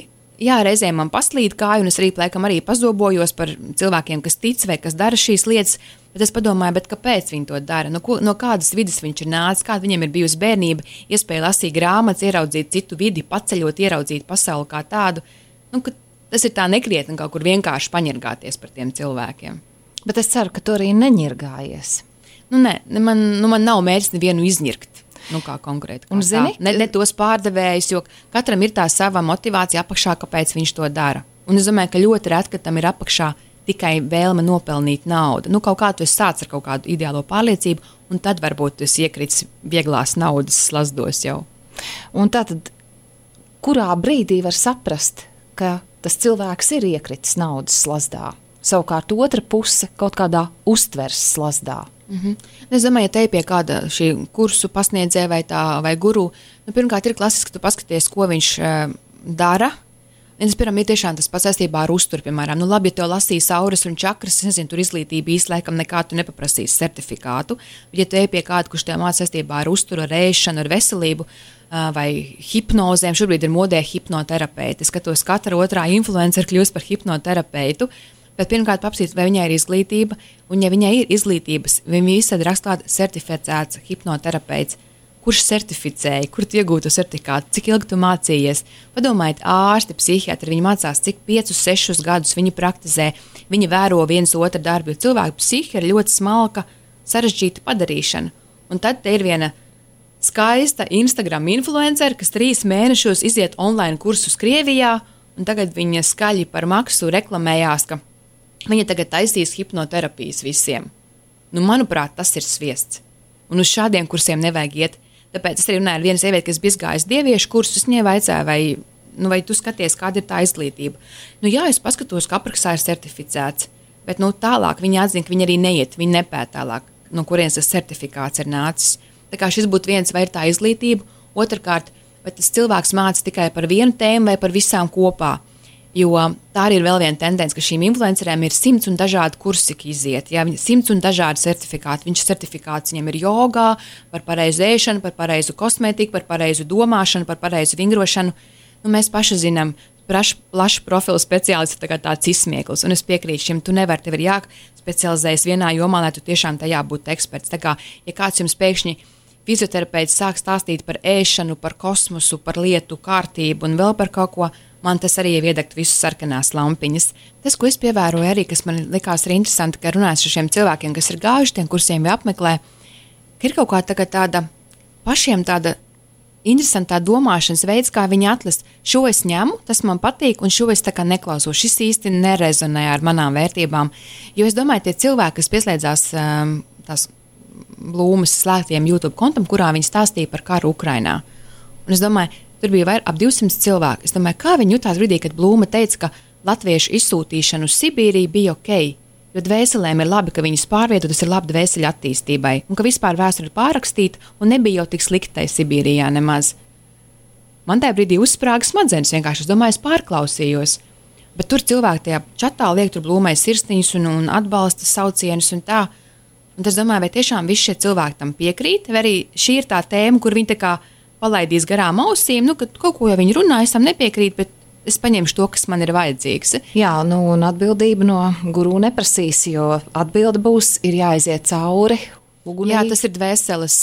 jā, reizēm man paslīd kāju, un es arī plēkam arī pazobojos par cilvēkiem, kas tic vai kas dara šīs lietas, bet es padomāju, bet kāpēc viņi to dara? No, ko, no kādas vidas viņš ir nācis, kāda viņiem ir bijusi bērnība, iespēja lasīt grāmatas, ieraudzīt citu vidi, paceļot, ieraudzīt pasauli kā tādu. Nu, ka tas ir tā nekrietni kaut kur vienkārši paņirgāties par tiem cilvēkiem. Bet es ceru, ka tu arī neņirgājies. Nu, nē, man, nu, man nav mērķis nevienu izņirkt. Nu, kā konkrēti. Kā un zini? Ne, ne tos pārdevējus, jo katram ir tā sava motivācija apakšā, kāpēc viņš to dara. Un es domāju, ka ļoti reti, ka tam ir apakšā tikai vēlme nopelnīt naudu. Nu, kaut kā tu esi sācis ar kaut kādu ideālo pārliecību, un tad varbūt tu esi iekrits vieglās naudas slazdos jau. Un tātad, kurā brīdī var saprast, ka tas cilvēks ir iekritis naudas slazdā? Savukārt otra puse kaut kādā uztveres slazdā. Mm-hmm. Es domāju, ja te pie kāda šī kursu pasniedzēja vai, tā, vai guru, nu, pirmkārt ir klasiski, ka tu paskaties, ko viņš uh, dara. Un es pirmām ir tiešām tas pats saistībā ar uzturu, piemēram. Nu, labi, ja tev lasīs auras un čakras, es nezinu, tur izglītība īsti laikam nekā tu nepaprasīs certifikātu. Ja te pie kāda, kurš tev māca saistībā ar uzturu, ar ēšanu, ar veselību uh, vai hipnozēm, šobrīd ir modē hipnoterapeiti. Es skatos, katra otrā influencer kļūst par hipnoterapeitu. Bet pirmkārt papsīt, vai viņai ir izglītība, un ja viņai ir izglītības, viņa visad rakstāt certificēts hipnoterapeits, kurš certificēja, kur tu iegūtu certifikātu, cik ilgi tu mācījies. Padomājiet, ārsti, psihiatri, viņi mācās cik piecus, sešus gadus, viņi praktizē, viņi vēro viens otru darbu, jo cilvēku psihi ir ļoti smalka, sarežģīta padarīšana. Un tad te ir viena skaista Instagram influencer, kas trīs mēnešos iziet online kursus Krievijā, un tagad viņa skaļi par maksu reklamējās, ka viņa tagad taisīs hipnoterapijas visiem. Nu, manuprāt, tas ir sviests. Un uz šādiem kursiem nevajag iet. Tāpēc es arī runāju ar vienu sievieti, kas bija gājis dieviešu kursus, viņai vaicāja, vai, nu, vai tu skaties, kāda ir tā izglītība. Nu, jā, es paskatos, ka aprakstā ir certificēts, bet nu, tālāk viņa atzina, ka viņa arī neiet, viņa nepēt tālāk, no kurienes tas certifikāts ir nācis. Tā kā šis būtu viens, vai ir tā izglītība, otrkārt, vai tas cilvēks māca tikai par vienu tēmu vai par visām kopā. Jo tā arī ir vēl viena tendence, ka šīm influencerēm ir simts un dažādi kursi iziet. Jā, simts un dažādi certifikāti. Viņš certifikāts viņam ir jogā, par pareizu ēšanu, par pareizu kosmētiku, par pareizu domāšanu, par pareizu vingrošanu. Nu, mēs paši zinām, plašu plaš profilu speciālists ir tā tāds izsmieklis, un es piekrītu šim, tu nevari, tev ir jāspecializējas vienā jomā, lai tu tiešām tajā būtu eksperts. Tā kā, ja kāds jums pēkšņi fizioterapeits sāk stāstīt par ēšanu, par kosmosu, par lietu kārtību un vēl par kaut ko, man tas arī iedegt visus sarkanās lampiņas. Tas, ko es pievēroju arī, kas man likās arī interesanti, ka runājas ar šiem cilvēkiem, kas ir gājuši tiem kursiem vai apmeklē, ka ir kaut kā tā, tāda pašiem tāda interesantā domāšanas veids, kā viņi atlast. Šo es ņemu, tas man patīk, un šo es tā kā neklausos. Šis īsti nerezonē ar manām vērtībām. Jo es domāju, tie cilvēki, kas pieslēdzās um, tās Blūmas slēgtiem YouTube kontam, kurā viņi stāstīja par karu Ukrainā. Un es domāju, tur bija vairāk ap divsimt cilvēku. Es domāju, kā viņi jutās brīdī, kad Blūma teica, ka latviešu izsūtīšana uz Sibīriju bija ok, jo dvēselēm ir labi, ka viņas pārvieto, tas ir labi dvēseļu attīstībai, un ka vispār vēsture ir pārrakstīta un nebija jau tik sliktai Sibīrijā nemaz. Man tajā brīdī uzsprāga smadzenes, vienkārši es domāju, es pārklausījos. Bet tur cilvēki tajā čatā liek tur Blūmai sirsniņus un, un atbalsta saucienus un tā. Un es domāju, vai tiešām visi šie cilvēki tam piekrīt, vai arī šī ir tā tēma, kur viņi tā kā palaidīs garām ausīm, nu, ka kaut ko jau viņi runā, es tam nepiekrītu, bet es paņemšu to, kas man ir vajadzīgs. Jā, nu, un atbildību no guru neprasīs, jo atbilde būs, ir jāiziet cauri ugunī. Jā, tas ir dvēseles,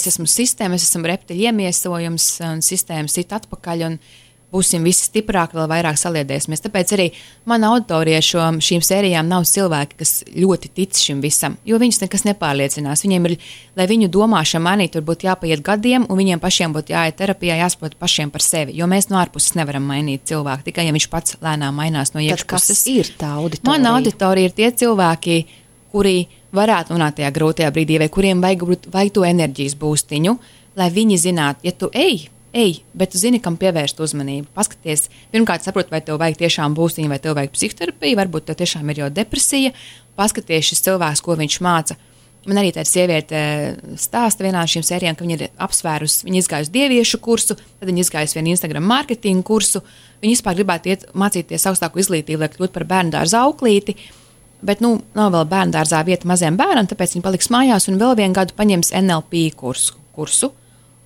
es esmu sistēma, es esmu reptiļu iemiesojums, un sistēma sit atpakaļ, un būsim visi stiprāki, vēl vairāk saliedēsimies. Tāpēc arī mana auditorija šo, šīm sērijām nav cilvēki, kas ļoti tic šim visam, jo viņus nekas nepārliecinās. Viņiem ir, lai viņu domāšana mainītu, tur būtu jāpaiet gadiem, un viņiem pašiem būtu jāiet terapijā, jāsaprot pašiem par sevi, jo mēs no ārpuses nevaram mainīt cilvēku, tikai ja viņš pats lēnām mainās no iekšpuses. Tad kas ir tā auditorija? Mana auditorija ir tie cilvēki, kuri varētu nonākt tajā grūtajā brīdī, vai kuriem vajag, vajag to enerģijas būstiņu, lai viņi zinātu, ja tu ej, ej, bet tu zini, kam pievērst uzmanību. Paskaties, pirmkārt saprot, vai tev vajag tiešām būstiņu, vai tev vajag psihoterapiju, varbūt tev tiešām ir jau depresija. Paskaties šis cilvēks, ko viņš māca. Man arī tāda sieviete stāsta vienā no šīm sērijām, ka viņa ir apsvērusi, viņa izgājusi dieviešu kursu, tad viņa izgājusi vienu Instagram marketingu kursu. Viņa vispār gribētu iet mācīties augstāku izglītību, lai kļūtu par bērndārza auklīti, bet, nu, nav vēl bērndārzā vieta maziem bērnam, tāpēc viņa paliks mājās un vēl vienu gadu paņems N L P kursu. kursu.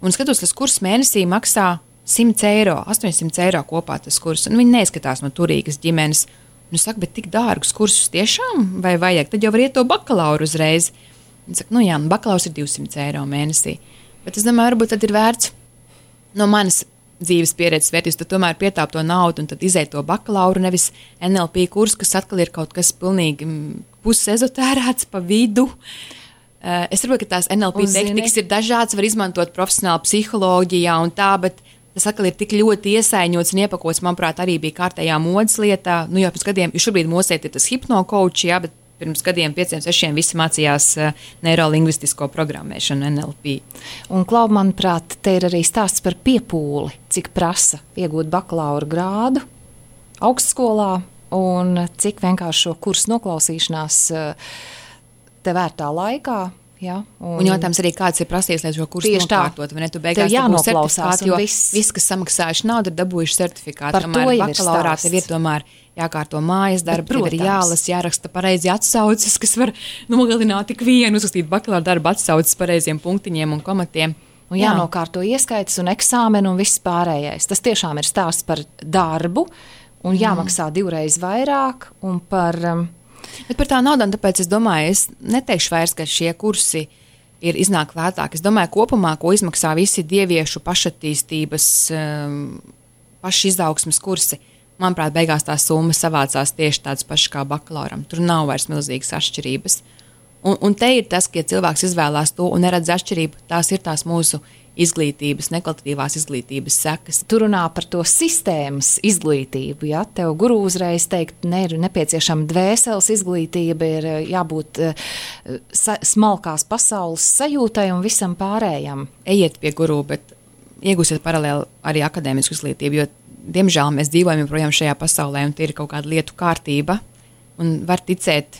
Un skatos, tas kurs mēnesī maksā simt eiro, astoņsimt eiro kopā tas kurs. Un viņi neizskatās no turīgas ģimenes. Un es saku, bet tik dārgus kursus tiešām vai vajag? Tad jau var iet to bakalauru uzreiz. Un saka, nu jā, bakalaurs ir divsimt eiro mēnesī. Bet es domāju, varbūt tad ir vērts no manas dzīves pieredzes vērtības, tad tomēr pietāp to naudu un tad izēt to bakalauru, nevis N L P kursu, kas atkal ir kaut kas pilnīgi pusezotērēts pa vidu. Uh, es saprotu, ka tās N L P tehnikas ir dažādas, var izmantot profesionāli psiholoģijā un tā, bet tas atkal ir tik ļoti iesaiņots un iepakots, manuprāt, arī bija kārtējā modes lietā. Nu, jau pirms gadiem, jo šobrīd mūsēt ir tas hipnokouči, jā, bet pirms gadiem, pieciem, sešiem visi mācījās uh, neirolingvistisko programmēšanu N L P. Un, Klau, manuprāt, te ir arī stāsts par piepūli, cik prasa iegūt bakalaura grādu augstskolā un cik vienkārši šo kursu noklausīšanās uh, te vērtā laikā. Ja, un, un jautājums arī, kāds ir prasījis, lai šo kursu nokārtot, vai ne? Tu beigās dabūji certifikātu, jo viss. Viss, kas samaksājuši naudu, ir dabūjuši certifikātu. Par to jau ir stāsts. Tev ir tomēr jākārto mājas darbi, tev ir jālas, jāraksta pareizi atsauces, kas var nogalināt tik vienu, uzrakstīt bakalaura darbu atsauces pareiziem punktiņiem un komatiem. Un jānokārto ieskaitas un eksāmeni un viss pārējais. Tas tiešām ir stāsts par darbu un jāmaksā mm. divreiz vairāk un par... Um, Bet par tā naudām, tāpēc es domāju, es neteikšu vairs, ka šie kursi ir iznāk lētāk. Es domāju, kopumā, ko izmaksā visi dieviešu pašattīstības, um, pašizaugsmes kursi, manuprāt, beigās tā summa savācās tieši tāds pašs kā bakalauram. Tur nav vairs milzīgas atšķirības. Un, un te ir tas, ka ja cilvēks izvēlās to un neredz atšķirību, tās ir tās mūsu izglītības, nekvalitatīvās izglītības sekas. Tu runā par to sistēmas izglītību, ja? Tev guru uzreiz teikt, ne ir nepieciešama dvēseles izglītība, ir jābūt uh, sa- smalkās pasaules sajūtai un visam pārējam. Ejiet pie guru, bet iegūsiet paralēli arī akadēmisku izglītību, jo, diemžēl, mēs dzīvojam joprojām šajā pasaulē un tie ir kaut kāda lietu kārtība un var ticēt,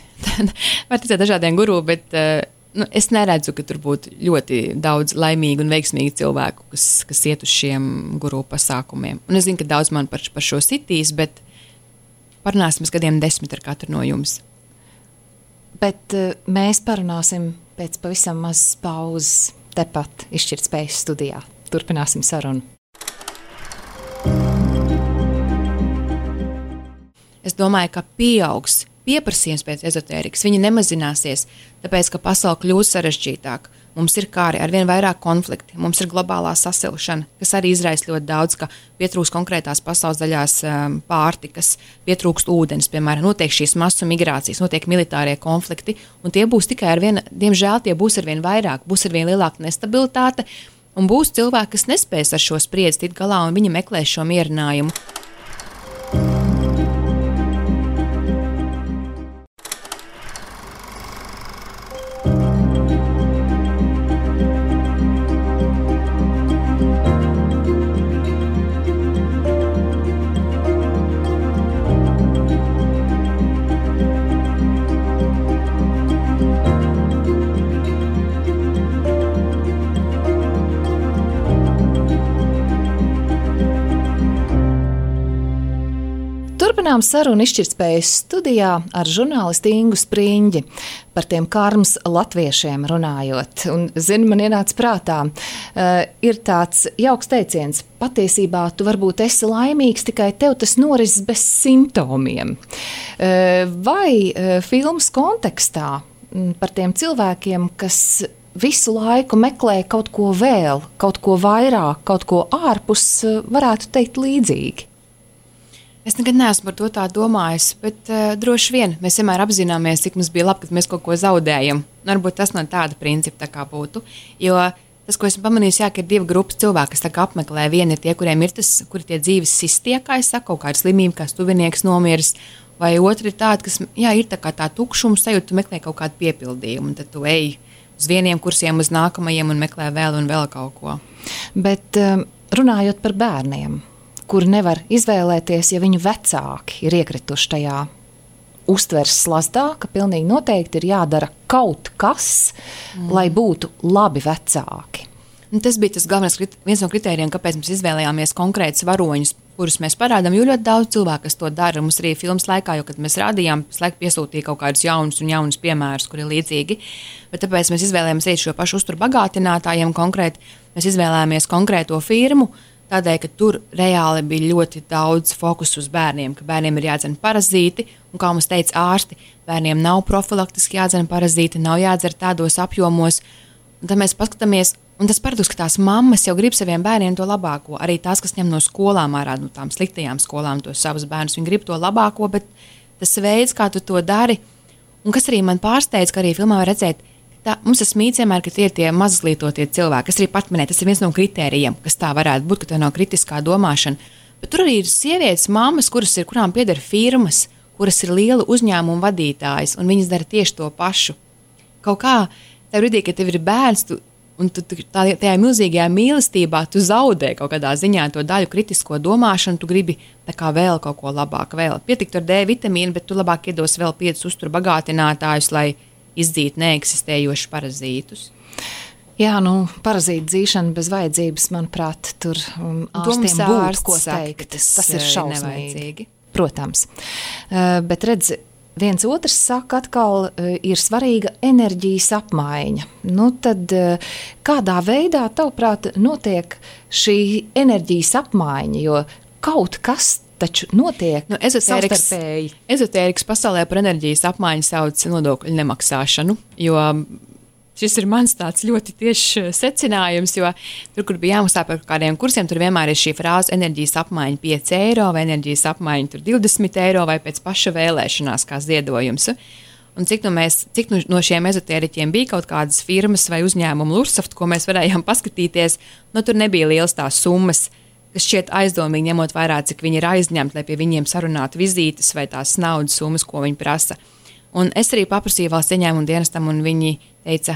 var ticēt dažādiem guru, bet uh, nu, es neredzu, ka tur būtu ļoti daudz laimīgu un veiksmīgu cilvēku, kas, kas iet uz šiem guru pasākumiem. Un es zinu, ka daudz man par, par šo sitīs, bet parunāsim gadiem desmit ar katru no jums. Bet uh, mēs parunāsim pēc pavisam mazas pauzes tepat Izšķirtspējas studijā. Turpināsim sarunu. es domāju, ka pieaugs pieprasījums pēc ezotērikas. Viņi nemazināsies, tāpēc, ka pasaule kļūst sarežģītāk. Mums ir kāri ar vien vairāk konflikti, mums ir globālā sasilšana, kas arī izraisa ļoti daudz, ka pietrūkst konkrētās pasaules daļās um, pārtikas, pietrūkst ūdens, piemēram, notiek šīs masu migrācijas, notiek militārie konflikti, un tie būs tikai ar vien, diemžēl tie būs ar vien vairāk, būs ar vien lielāka nestabilitāte, un būs cilvēki, kas nespēs ar šo spriedzi tikt galā, un viņi meklēs šo mierinājumu. Turpinām sarunu izšķirtspējas studijā ar žurnālistu Ingu Spriņģi par tiem karmas latviešiem runājot. Un, zini, man ienāca prātā, uh, ir tāds jauks teiciens, patiesībā tu varbūt esi laimīgs, tikai tev tas norises bez simptomiem. Uh, vai uh, filmas kontekstā m, par tiem cilvēkiem, kas visu laiku meklē kaut ko vēl, kaut ko vairāk, kaut ko ārpus, uh, varētu teikt līdzīgi? Es nekad neesmu par to tā domājis, bet uh, droši vien mēs vienmēr apzināmies, cik mums bija labi, kad mēs kaut ko zaudējam. Varbūt tas no tāda principa tā kā būtu. Jo tas, ko esmu pamanījis, jā, ka ir divi grupas cilvēki, kas tā kā apmeklē. Vieni ir tie, kuriem ir tas, kuri tie dzīves sistie, kā es saku, kaut kāda slimība, kā tuvinieks nomiris, vai otri ir tādi, kas, jā, ir tā kā tā tukšums sajūta, tu meklē kaut kādu piepildījumu, un tad tu ej uz vieniem kursiem, uz nākamajiem un meklē vēl un vēl kaut ko. Bet um, runājot par bērniem, kuri nevar izvēlēties, ja viņu vecāki ir iekrituši tajā uztveres slazdā, ka pilnīgi noteikti ir jādara kaut kas, mm. lai būtu labi vecāki. Un tas bija tas galvenais, viens no kritērijiem, kāpēc mēs izvēlējāmies konkrētus varoņus, kurus mēs parādām, jo ļoti daudz cilvēku, kas to dara. Mums arī filmas laikā, jo, kad mēs rādījām, laik piesūtīja kaut kādus jaunus un jaunus piemērus, kuri ir līdzīgi. Bet tāpēc mēs izvēlējāmies arī šo pašu uzturu bagātinātājiem konkrēti. Mēs izvēlējāmies konkrēto firmu, tādēļ, ka tur reāli bija ļoti daudz fokusu uz bērniem, ka bērniem ir jādzen parazīti, un kā mums teica ārsti, bērniem nav profilaktiski jādzen parazīti, nav jādzer tādos apjomos. Un tad mēs paskatāmies, un tas paradoks, ka tās mammas jau grib saviem bērniem to labāko, arī tās, kas ņem no skolām ārā, no tām sliktajām skolām tos savus bērnus, viņi grib to labāko, bet tas veids, kā tu to dari, un kas arī man pārsteidz, ka arī filmā var redzēt, tā, mums tas mīts vienmēr, ka tie ir tie mazlietotie cilvēki, kas arī pat minē, tas ir viens no kritērijiem, kas tā varētu būt, ka tev nav kritiskā domāšana. Bet tur arī ir sievietes, mammas, kuras ir, kurām pieder firmas, kuras ir liela uzņēmuma vadītājas, un viņas dara tieši to pašu. Kaut kā tajā brīdī, kad tev ir bērns, tu, un tu, tu tā, tajā milzīgajā mīlestībā tu zaudē kaut kādā ziņā to daļu kritisko domāšanu, tu gribi tā kā vēl kaut ko labāk, vēl pietikt ar D vitamīnu, bet tu labāk iedos vēl piecus uzturu bagātinātājus, lai izdzīt neeksistējošus parazītus. Jā, nu, parazītu dzīšana bez vajadzības, manuprāt, tur um, ārstiem būtu ko teikt. Tas, tas ir šausmīgi. Protams. Uh, bet redz, viens otrs saka atkal, uh, ir svarīga enerģijas apmaiņa. Nu, tad uh, kādā veidā, tavuprāt, notiek šī enerģijas apmaiņa, jo kaut kas taču notiek nu, savstarpēji. Ezotērikas pasaulē par enerģijas apmaiņu sauc nodokļu nemaksāšanu, jo šis ir mans tāds ļoti tiešs secinājums, jo tur, kur bija jāmaksā par kādiem kursiem, tur vienmēr ir šī frāze enerģijas apmaiņa pieci eiro vai enerģijas apmaiņa tur divdesmit eiro vai pēc paša vēlēšanās kā ziedojums. Un cik, nu mēs, cik nu no šiem ezotēriķiem bija kaut kādas firmas vai uzņēmumu Lursaft, ko mēs varējām paskatīties, nu tur nebija liels tās summas, kas šķiet aizdomīgi, ņemot vairāk, cik viņi ir aizņemti, lai pie viņiem sarunātu vizītes vai tās naudas summas, ko viņi prasa. Un es arī paprasīju valsts ieņēmumu dienestam, un viņi teica,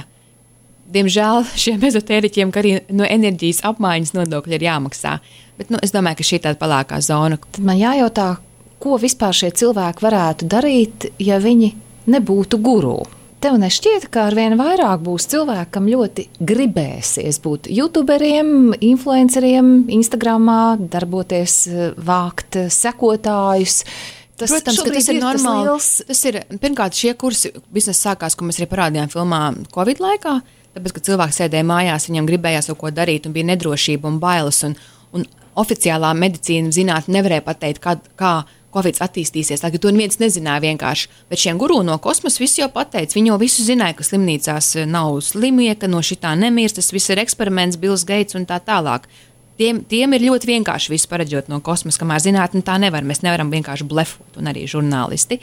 diemžēl šiem ezotēriķiem, ka arī no enerģijas apmaiņas nodokļi ir jāmaksā. Bet nu, es domāju, ka šī tāda palākā zona. Tad man jājautā, ko vispār šie cilvēki varētu darīt, ja viņi nebūtu guru? Tev nešķiet, ka arvien vairāk būs cilvēki, kam ļoti gribēsies būt youtuberiem, influenceriem, Instagramā, darboties, vākt sekotājus. Tas, Protams, ka tas ir normāli. Tas, tas ir, pirmkārt, šie kursi biznesa sākās, ko mēs arī parādījām filmā Covid laikā, tāpēc, ka cilvēks sēdēja mājās, viņam gribējās kaut ko darīt un bija nedrošība un bailes, un, un oficiālā medicīna zinātne nevarēja pateikt, kā, kā Covid attīstīsies, tā, ka to neviens nezināja vienkārši. Bet šiem guru no kosmosa visi jau pateica, viņi jau visu zināja, ka slimnīcās nav slimie, ka no šitā nemirst, tas viss ir eksperiments, Bills Gates un tā tālāk. Tiem, tiem ir ļoti vienkārši visu pareģot no kosmosa, kamēr zinātne tā nevar. Mēs nevaram vienkārši blefot, un arī žurnālisti.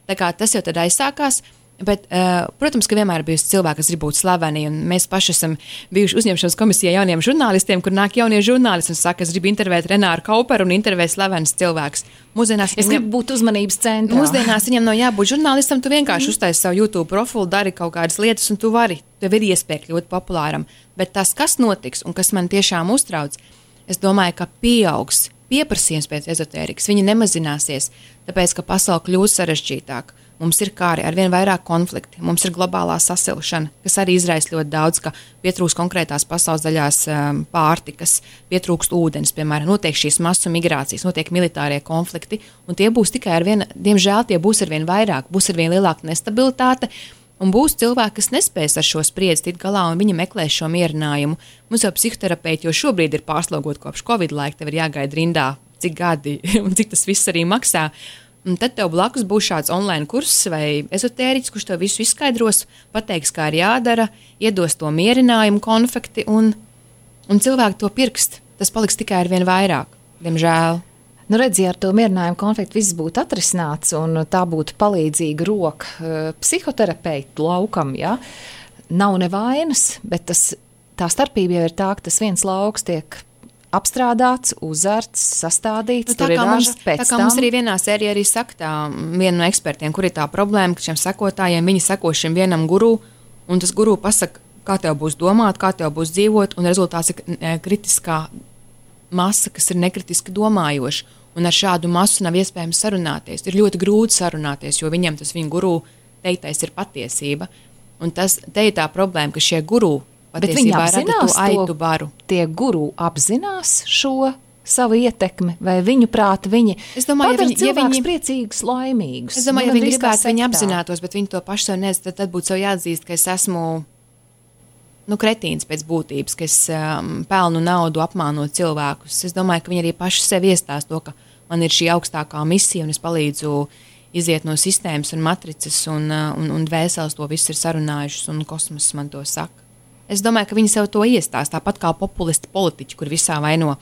Tā kā tas jau tad aizsākās. Bet, uh, protams, ka vienmēr ir bijusi cilvēki, kas grib būt slaveni, un mēs paši esam bijuši uzņemšanas komisijā jauniem žurnālistiem, kur nāk jaunie žurnālisti un saka, es gribu intervēt Renāru Kauperu un intervēt slavenas cilvēks. Mūsdienās es gribu būt uzmanības centrā. Mūsdienās viņam nav jābūt žurnālistam, tu vienkārši mm. uztaisi savu YouTube profilu, dari kaut kādas lietas, un tu vari, tev ir iespēja kļūt populāram. Bet tas, kas notiks un kas man tiešām uztrauc, es domāju, ka pieaugs pieprasījums pēc ezotērikas, viņi nemazināsies, tāpēc, ka pasaule kļūst sarežģītāk. Mums ir kā arī ar vien vairāk konflikti, mums ir globālā sasilšana, kas arī izraisa ļoti daudz, ka pietrūkst konkrētās pasaules daļās um, pārtikas, pietrūkst ūdens, piemēram, notiek šīs masu migrācijas, notiek militārie konflikti, un tie būs tikai ar vien, diemžēl tie būs ar vien vairāk, būs ar vien lielāka nestabilitāte, un būs cilvēki, kas nespēs ar šo spriedzi tikt galā, un viņi meklēs šo mierinājumu. Mums jau psihoterapeiti jau šobrīd ir pārslogoti kopš Covid laika, tev ir jāgaida rindā, cik gadi un cik tas viss arī maksā. Un tad tev blakus būs šāds online kurss vai ezotēriķis, kurš tev visu izskaidros, pateiks, kā ir jādara, iedos to mierinājumu konfekti, un, un cilvēki to pirkst. Tas paliks tikai ar vien vairāk, diemžēl. Nu, redz, ja ar to mierinājumu konfliktu viss būtu atrisināts, un tā būtu palīdzīga roka uh, psihoterapeitu laukam, ja? Nav nevainas, bet tas, tā starpība jau ir tā, ka tas viens lauks tiek apstrādāts, uzarts, sastādīts, nu, tur ir raža pēc tam. Tā kā mums arī vienā sērijā arī saka tā, viena no ekspertiem, kur ir tā problēma, ka šiem sekotājiem, viņi seko šim vienam guru, un tas guru pasaka, kā tev būs domāt, kā tev būs dzīvot, un rezultāts ir kritiskā masa, kas ir nekritiski domājoša, un ar šādu masu nav iespējams sarunāties. Ir ļoti grūti sarunāties, jo viņiem tas viņa guru teiktais ir patiesība, un tas, te ir tā problēma, ka šie guru bet viņi apzinās to, baru. Tie guru apzinās šo savu ietekmi, vai viņu prāti viņi es domāju, padara ja viņi, cilvēkus ja viņi, priecīgus, laimīgus. Es domāju, ja viņi gribētu, viņi apzinātos, bet viņi to paši sev nezinu, tad, tad būtu sev jāatzīst, ka es esmu nu, kretīns pēc būtības, ka es um, pelnu naudu apmānot cilvēkus. Es domāju, ka viņi arī paši sev iestās to, ka man ir šī augstākā misija un es palīdzu iziet no sistēmas un matricas un, un, un dvēseles to visu ir sarunājušas un kosmos man to saka. Es domāju, ka viņi sev to iestās, tāpat kā populisti politiķi, kur visā vaino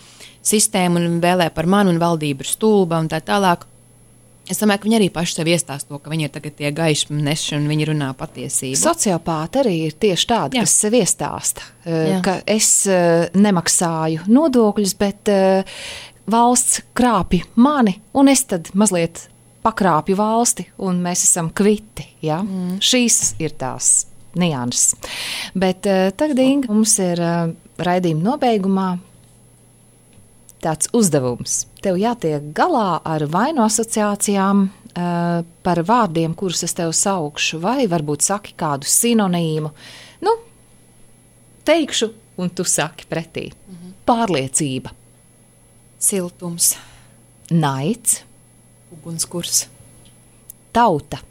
sistēmu un vēlē par mani un valdību ir stulba un tā tālāk. Es domāju, ka viņi arī paši sev iestās to, ka viņi ir tagad tie gaišmi neši un viņi runā patiesību. Sociopāti arī ir tieši tādi, Jā. kas sev iestāsta, Jā. ka es nemaksāju nodokļus, bet valsts krāpja mani un es tad mazliet pakrāpju valsti un mēs esam kviti. Ja? Mm. Šīs ir tās nianses. Bet uh, tagad, Inga, mums ir uh, raidījuma nobeigumā tāds uzdevums. Tev jātiek galā ar vainu asociācijām uh, par vārdiem, kurus es tev saukšu, vai varbūt saki kādu sinonīmu. Nu, teikšu, un tu saki pretī. Mhm. Pārliecība. Siltums. Naids. Ugunskurs. Tauta.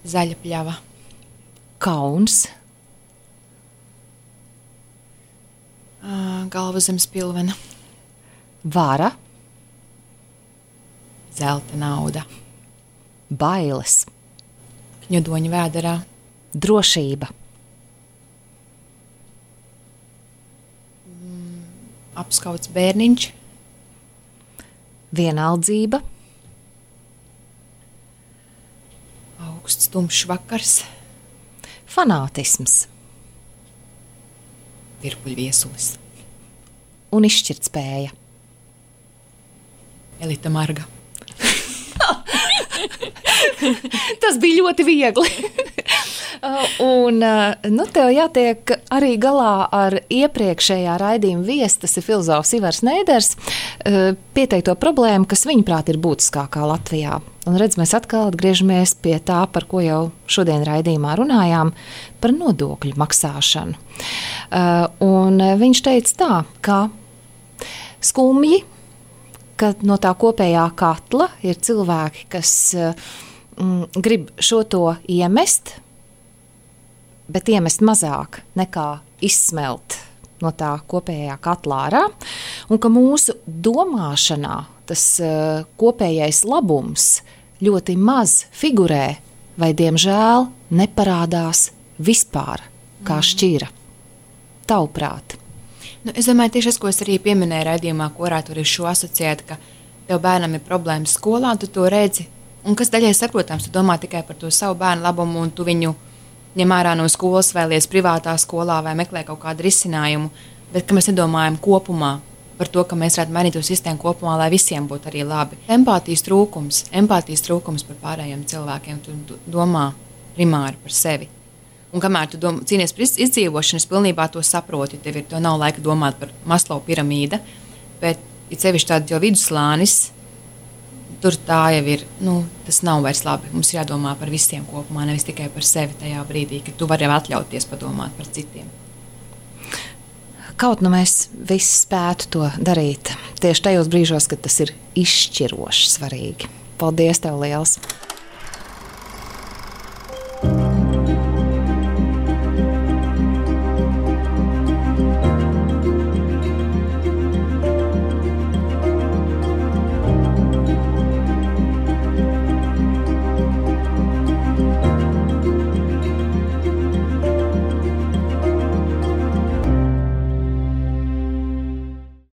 Zaļa pļava. Kauns. Uh, galva zem spilvena. Vara. Zelta nauda. Bailes. Kņudoņa vēderā. Drošība. Mm, apskauts bērniņš. Vienaldzība. Augsts tumšs vakars. Fanātisms. Virpuļviesulis. Un izšķirtspēja. Elita Marga. Tas bija ļoti viegli. Un nu, tev jātiek arī galā ar iepriekšējā raidījuma viesi, tas ir filozofs Ivars Neiders, pieteikto problēmu, kas viņuprāt ir būtiskākā Latvijā. Un redz, mēs atkal atgriežamies pie tā, par ko jau šodien raidījumā runājām, par nodokļu maksāšanu. Un viņš teica tā, ka skumji, ka no tā kopējā katla ir cilvēki, kas mm, grib šo to iemest, bet iemest mazāk nekā izsmelt no tā kopējā katlā ārā. un ka mūsu domāšanā tas uh, kopējais labums ļoti maz figurē vai, diemžēl, neparādās vispār kā šķira. Tavuprāt? Nu, es domāju, tieši tas, ko es arī pieminēju raidījumā, ko varētu arī šo asociēt, ka tev bērnam ir problēmas skolā, un tu to redzi, un kas daļai saprotams, tu domā tikai par to savu bērnu labumu, un tu viņu ņem ārā no skolas, vēlies privātā skolā vai meklē kaut kādu risinājumu, bet ka mēs nedomājam kopumā par to, ka mēs varētu mainīt to sistēmu kopumā, lai visiem būtu arī labi. Empātijas trūkums, empātijas trūkums par pārējiem cilvēkiem, tu domā primāri par sevi. Un kamēr tu dom, cīnies par izdzīvošanu, es pilnībā to saprotu, tev ir, to nav laika domāt par Maslow piramīda, bet ir sevišķi tāda jau vidusslānis, tur tā jau ir, nu, tas nav vairs labi. Mums ir jādomā par visiem kopumā, nevis tikai par sevi tajā brīdī, kad tu vari atļauties padomāt par citiem. Kaut nu mēs visi spētu to darīt tieši tajos brīžos, kad tas ir izšķiroši svarīgi. Paldies tev liels!